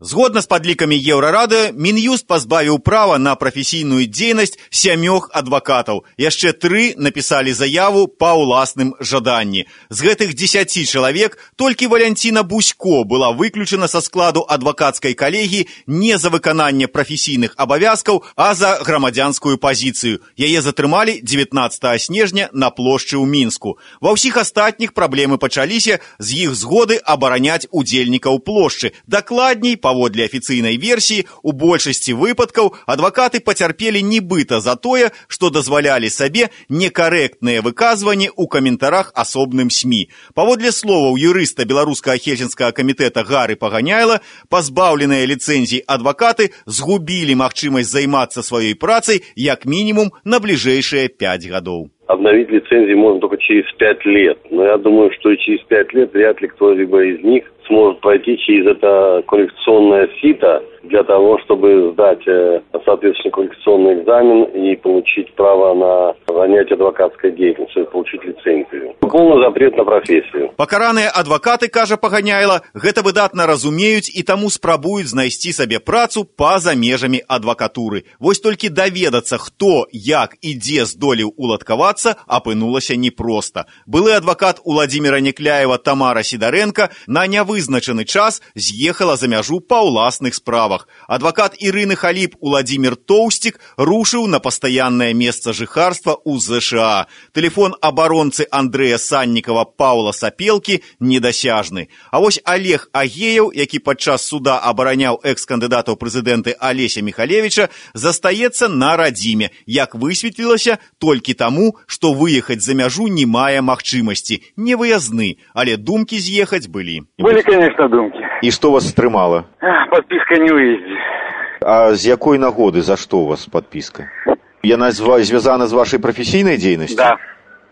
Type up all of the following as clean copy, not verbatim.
Згодна з падлікамі Еўрарады, Мін'юст пазбавіў права на прафесійную дзейнасць 7 адвакатаў. Яшчэ 3 напісалі заяву па ўласным жаданні. З гэтых 10 чалавек толькі Валянціна Бусько была выключана са складу адвакацкай калегіі не за выкананне прафесійных абавязкаў, а за грамадзянскую пазіцыю. Яе затрымалі 19 снежня на плошчы ў Мінску. Ва ўсіх астатніх праблемы пачаліся з іх згоды абараняць удзельнікаў плошчы. Дакладней, паводле афіцыйнай версіі, у большасці выпадкаў адвакаты пацярпелі нібыта за тое, што дазвалялі сабе некарэктныя выказванні ў каментарах асобным СМІ. Паводле словаў юрыста Беларускага Хельсінскага камітэта Гары Паганяйла, пазбаўленыя ліцэнзій адвакаты згубілі магчымасць займацца сваёй працай як мінімум на бліжэйшыя 5 гадоў. Обновить лицензии можно только через 5 лет. Но я думаю, что и через 5 лет вряд ли кто-либо из них сможет пройти через это квалификационное сито для того, чтобы сдать соответствующий квалификационный экзамен и получить право на занятие адвокатской деятельностью, получить лицензию. Полный запрет на профессию. Пакараныя адвакаты, кажа Паганяйла, гэта выдатна разумеюць і таму спрабуюць знайсці сабе працу па-за межамі адвакатуры. Вось толькі даведацца, хто, як і дзе здолеў уладкавацца, апынулася непроста. Былы адвакат Уладзіміра Некляева Тамара Сідарэнка на нявызначаны час з'ехала за мяжу па ўласных справах. Адвакат Ірыны Халіп Уладзімір Тоўсцік рушыў на пастаяннае месца жыхарства ў ЗША. Тэлефон абаронцы Андрэя Саннікава Паўла Сапелкі недасяжны. А вось Олег Агеяў, які падчас суда абараняў экс-кандыдата ў прэзідэнты Алеся Міхалевіча, застаецца на радзіме, як высветлілася, толькі таму, што выехаць за мяжу не мае магчымасці. Не выязны, але думкі з'ехаць былі. Были, конечно, думки. І што вас стрымала? Подписка не уезде. А з якой нагоды, за што у вас падпіска? Яна звязана з вашай прафесійнай дзейнасцю? Да,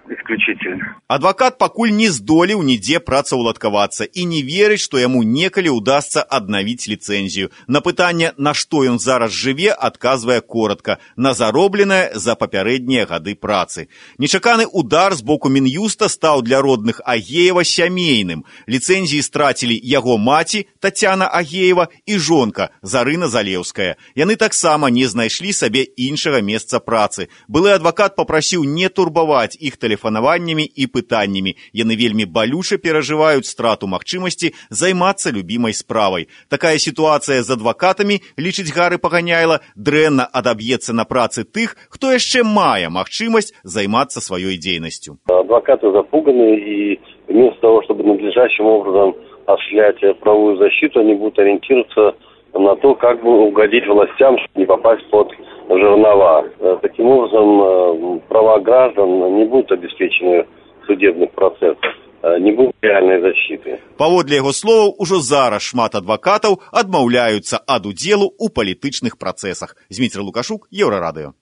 исключительно. Адвакат пакуль не здолеў нідзе працаўладкавацца і не верыць, што яму некалі ўдасца аднавіць ліцэнзію. На пытанне, на што ён зараз жыве, адказвае коротка: на заробленае за папярэднія гады працы. Нечаканы удар з боку Мін'юста стаў для родных Агеева сямейным. Ліцэнзіі страцілі яго маці Тацяна Агеева і жонка Зарына Залеўская. Яны таксама не знайшлі сабе іншага месца працы. Былы адвакат папрасіў не турбаваць іх тэлефанаваннямі і пытаннямі. Яны вельмі балюча перажываюць страту магчымасці займацца любімай справай. Такая сітуацыя з адвакатамі, лічыць Гары Паганяйла, дрэнна адаб'ецца на працы тых, хто яшчэ мае магчымасць займацца сваёй дзейнасцю. Адвокаты запуганы, и вместо того, чтобы надлежащим образом осуществлять правовую защиту, они будут ориентироваться на то, как бы угодить властям, чтобы не попасть под жернова. Таким образом, права граждан не будут обеспечены в судебных процессах, не будет реальной защиты. Паводле яго словаў, ужо зараз шмат адвакатаў адмаўляюцца ад удзелу ў палітычных працэсах. Зміцер Лукашук, Еўрарадыё.